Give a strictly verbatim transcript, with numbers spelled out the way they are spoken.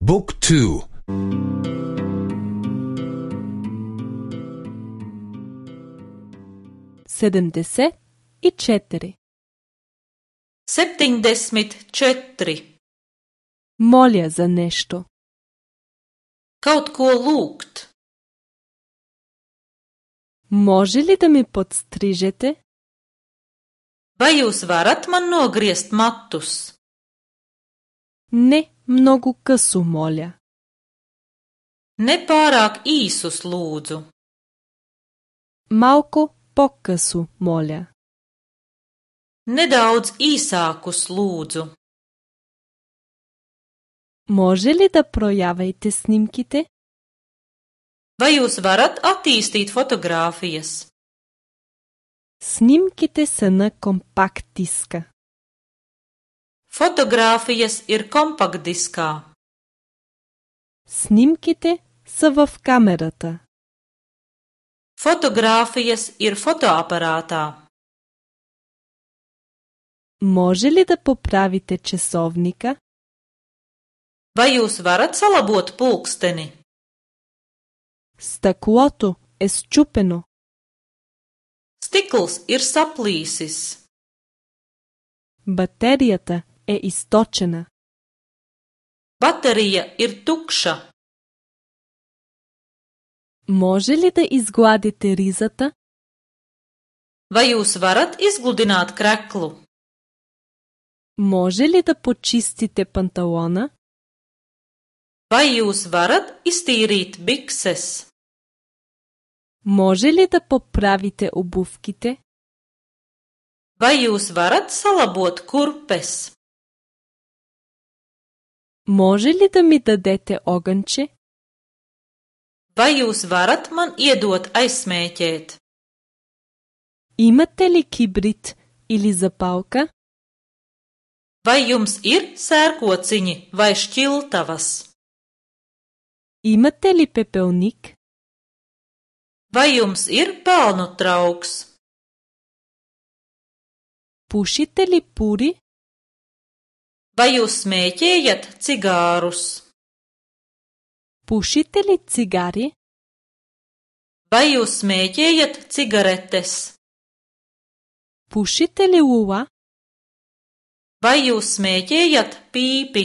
บุ๊กทูsedemdeset i četiri. Septiņdesmit četri. Molja za nešto. Kaut ko lūgt. Može li da mi podstrižete? Vai jūs varat man nogriezt matus? Ne mnogo късо, моля. Ne pārāk īsus lūdzu. Малко по-късо, моля. Nedaudz īsākus lūdzu. Може ли да проявите снимките? Vai jūs varat attīstīt fotogrāfijas? Снимките са на компакт диска. Fotogrāfijas ir kompaktdiskā. Снимките са в камерата. Fotogrāfijas ir fotoaparātā. Може ли да поправите часовника? Vai jūs varat salabot pulksteni? Стъклото е счупено. Stikls ir saplīsis. Батерията е източена. Baterija ir tukša. Може ли да изгладите ризата? Vai jūs varat izgludināt kreklu? Може ли да почистите панталона? Vai jūs varat iztīrīt bikses? Може ли да поправите обувките? Vai jūs varat salabot kurpes? Може ли да ми дадете огънче? Vai jūs varat man iedot aizsmēķēt? Имате ли кибрид или запалка? Vai jums ir sērkociņi vai šķiltavas? Имате ли пепелник? Vai jums ir pelnu trauks? Пушите ли пури? Vai jūs smēķējat cigārus? Пушите ли цигари? Vai jūs smēķējat cigaretes? Пушите ли лула? Vai jūs smēķējat pīpi?